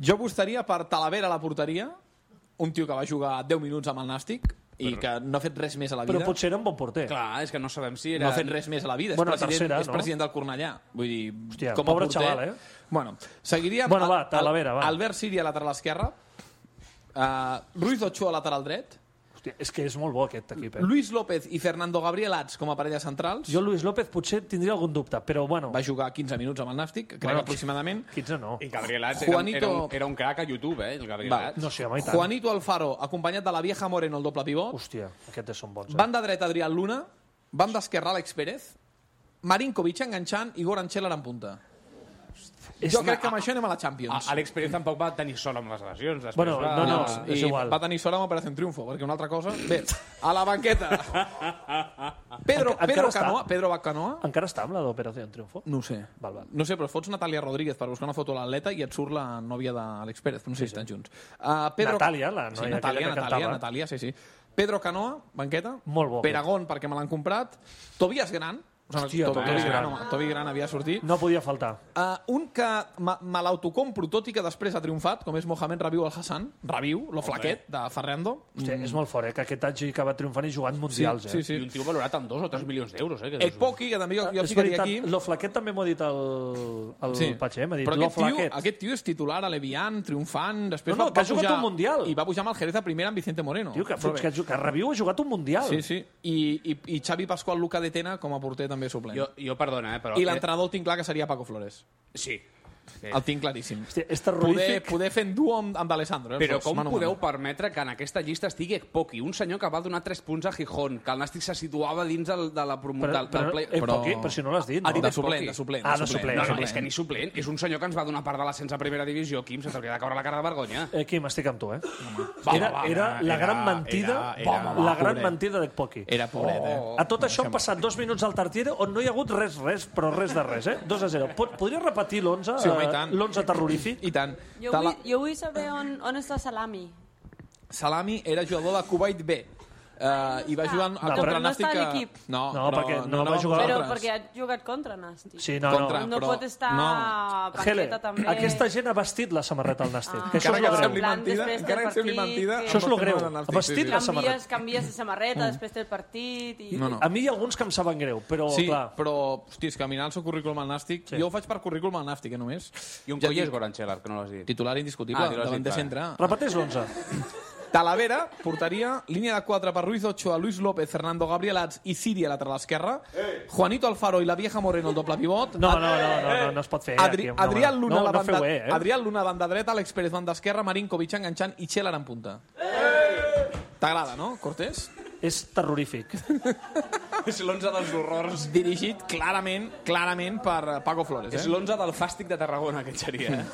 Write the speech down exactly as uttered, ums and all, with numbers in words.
Jo apostaria per Talavera a la porteria, un tio que va jugar deu minuts amb el Nàstic i que no ha fet res més a la vida. Però potser era un bon porter. Clar, és que no sabem si era... No ha fet res més a la vida. Bueno, és president, tercera, és no? president del Cornellà. Vull dir, Hòstia, com a pobre porter... xaval, eh? Bueno, seguiríem... Bueno, va, Talavera, va. Albert Siri a lateral esquerra, uh, Ruiz Ochoa a lateral dret, Hòstia, és que és molt bo aquest equip, eh? Luis López i Fernando Gabriel Ats com a parella centrals. Jo, Luis López, potser tindria algun dubte, però bueno... Va jugar quinze minuts amb el Nàstic, crec Bueno, aproximadament. quinze no. I Gabriel Ats Juanito- era, era, un, era un crac a YouTube, eh, el Gabriel Va. Ats. No sé, home, i tant. Juanito Alfaro, acompanyat de la Vieja Moreno, el doble pivot. Hòstia, aquests són bons, eh? Banda dreta, Adrián Luna. Banda esquerra, Àlex Pérez. Marinkovic enganxant i Goran Cheller en punta. És Jo una- crec que amb això anem a la Champions. A- Àlex Pérez tampoc va tenir sort amb les lesions. Després Bueno, va... no, no, Ah, és i igual. va tenir sort amb Operació Triunfo, perquè una altra cosa... Bé, a la banqueta. Pedro, Encara Pedro està? Canoa. Pedro Bacanoa. Encara està amb la d'Operació Triunfo? No ho sé. Val, val. No sé, però fots Natàlia Rodríguez per buscar una foto de l'atleta i et surt la nòvia d'Àlex Pérez. No sé si estan junts. Uh, Pedro... Natàlia, la sí, noia Natàlia, aquella que Natàlia, cantava. Natàlia, sí, sí. Pedro Canoa, banqueta. Molt bo, Peragón, perquè me l'han comprat. Tobias Gran. O sigui, Hòstia, to, Tobias Tobi Gran, Gran. home, Tobi Gran havia sortit. No podia faltar. Uh, un que me, me l'autocompro, tot i que després ha triomfat, com és Mohamed Rabiu Al-Hassan. Rabiu, lo flaquet, de Ferrando. Hòstia, és molt fort, eh? Que aquest hagi acabat triomfant i jugant mundials, sí, eh? sí. I un tio valorat amb dos o tres milions d'euros, eh? Que El Poki, que també jo, jo És ficaria veritat, aquí. lo flaquet també m'ho ha dit el, el Sí. Patxer, m'ha dit Però lo aquest tio, flaquet. aquest tio és titular a l'Evian, triomfant, després No, no, va, que va ha jugat pujar, un Mundial. I va pujar amb el Jerez a primera amb Vicente Moreno. Tio, que, Però bé. que, que Rabiu ha jugat un mundial. Sí, sí. I, i, i Xavi Pascual Luca de Tena com a porter també suplent. Jo, jo perdona, eh, però... I l'entrenador el tinc clar que seria Paco Flores. Sí. El tinc claríssim. Hòstia, és Poder, terrorífic. poder fer en duo amb, amb D'Alessandro. Eh, els Però dos, com mano a podeu mano. permetre que en aquesta llista estigui Ekpoki, un senyor que va donar tres punts a Gijón, que el Nàstic se situava dins del, de la promo... Però, del, del però, play... eh, però- Poqui, però si no l'has dit, Ha no? dit De Ekpoki. suplent, de suplent. Ah, de suplent. No, no, suplent. és que ni suplent. És un senyor que ens va donar part de l'ascens a primera divisió, Quim, se t'hauria de caure la cara de vergonya. Eh, Quim, estic amb tu, eh? Va, Era, va, va, era la era- gran mentida, era- era- la gran pobret. mentida d'Ekpoki. Era pobret, eh? Oh. A tot això han passat dos minuts al Tartiere on no hi ha hagut res, res, però res de res, eh? dos a zero. Pot, podries repetir l'onze, Sí, home, i tant. l'onze terrorífic? I tant. Jo Tala- vull, jo vull saber on, on està Salami. Salami era jugador de Kuwait B. Uh, I va està? jugar a No, contra però no Nàstic. està a que- l'equip. No, No, perquè no va jugar- Però nosaltres. perquè ha jugat contra Nàstic. Sí, no, Contra- no. No però- pot estar no. a Hele, banqueta també. aquesta gent ha vestit la samarreta al Nàstic. Ah. Que això Encara és que lo sembli greu. Plan mentida, després encara del que sembli partit, mentida... que- Això és lo no greu. fem una Nàstic, Vestit sí, sí. la samarreta. Canvies, canvies de samarreta després del partit. I... No, no. A mi hi ha alguns que em saben greu, però Sí, clar... però, hosti, és que mirar el seu currículum al Nàstic... Sí. Jo ho faig per currículum al Nàstic, eh, només. I un Ja coll és dic, Goran Cheller, que no l'has dit. Titular indiscutible, Ah, titular davant de indiscutible. centre. Repeteix l'onze. Talavera, porteria, línia de quatre per Ruiz Ochoa, Luis López, Fernando Gabriel Ats i Siri a lateral esquerra, Juanito Alfaro i la Vieja Moreno, el doble pivot. No, no, no, no, no, no es pot fer. eh, Adri aquí, no, Adrián no, Luna, no, la no banda, feu, eh, eh? Adrián Luna, banda dreta, Àlex Pérez, banda esquerra, Marinkovic enganxant i Cheller en punta. T'agrada, no, Cortés? És terrorífic. És l'onze dels horrors. Dirigit clarament, clarament per Paco Flores. És Eh? l'onze del fàstic de Tarragona, aquest seria. Eh?